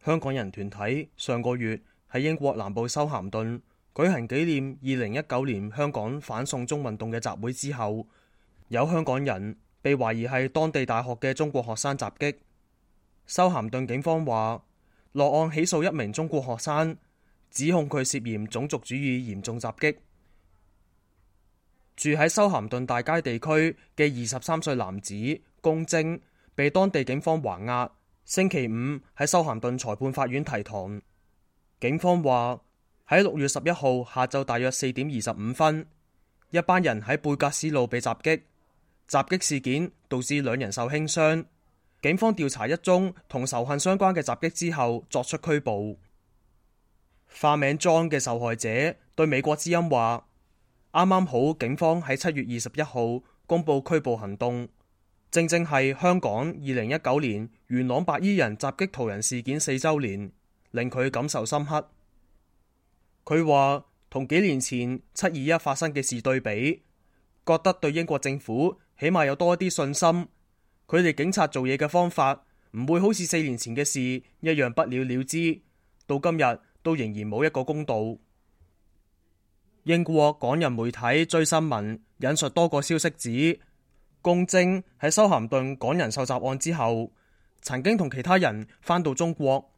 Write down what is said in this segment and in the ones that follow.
香港人團體上個月喺英國南部修咸頓舉行紀念2019年香港反送中運動嘅集會之後，有香港人被懷疑係當地大學嘅中國學生襲擊。修咸頓警方話落案起訴一名中國學生，指控佢涉嫌種族主義嚴重襲擊。住喺修咸頓大街地區嘅23歲男子龔晶被當地警方還押，星期五喺修咸頓裁判法院提堂。警方話喺6月11號下晝大約4點25分，一班人喺貝格斯路被襲擊，襲擊事件導致2人受輕傷。警方調查一宗同仇恨相關嘅襲擊之後作出拘捕。化名 John 嘅受害者對美國之音話，啱啱好警方喺7月21號公布拘捕行動，正係香港2019年元朗白衣人襲擊途人事件4週年，令佢感受深刻。佢話同幾年前721發生嘅事對比，覺得對英國政府起碼有多一啲信心。佢哋警察做嘢嘅方法唔會好似4年前嘅事一樣不了了之，到今日都仍然冇一個公道。英國港人媒體追新聞引述多個消息指，龔晶喺修咸頓港人受襲案之後，曾經同其他人返到中國。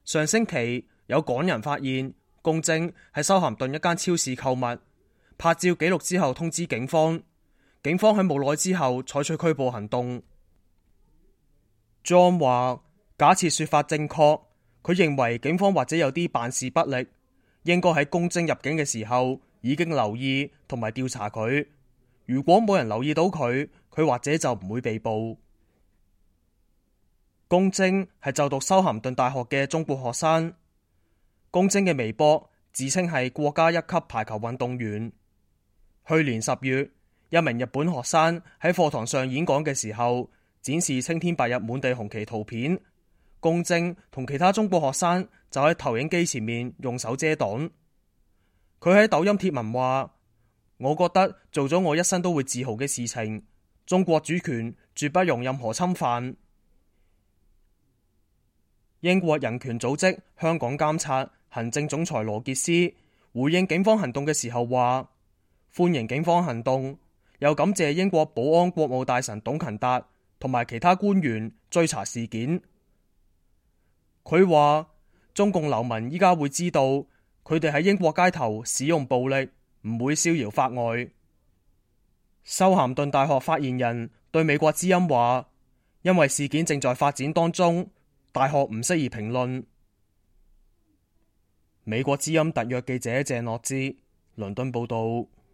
上星期有港人發現龔晶喺修咸頓一間超市購物，拍照記錄之後通知警方。警方喺冇耐之後採取拘捕行動。John 話假設說法正確，佢認為警方或者有啲辦事不力，應該喺龔晶入境嘅時候已經留意同埋調查佢。如果冇人留意到佢，佢或者就唔會被捕。龔晶係就讀修咸頓大學嘅中國學生。龔晶嘅微博自稱係國家一級排球運動員。去年10月，一名日本學生喺課堂上演講嘅時候，展示青天白日滿地紅旗圖片。龔晶同其他中國學生就喺投影機前面用手遮擋。佢喺抖音貼文話：我覺得做咗我一生都會自豪嘅事情，中國主權絕不容任何侵犯。英國人權組織香港監察行政總裁羅傑斯回應警方行動嘅時候話：歡迎警方行動，又感謝英國保安國務大臣董勤達同埋其他官員追查事件。佢話中共流民依家會知道，佢哋喺英國街頭使用暴力唔會逍遙法外。修咸頓大學發言人對美國之音話：因為事件正在發展當中，大學唔適宜評論。美國之音特約記者鄭樂之倫敦報道。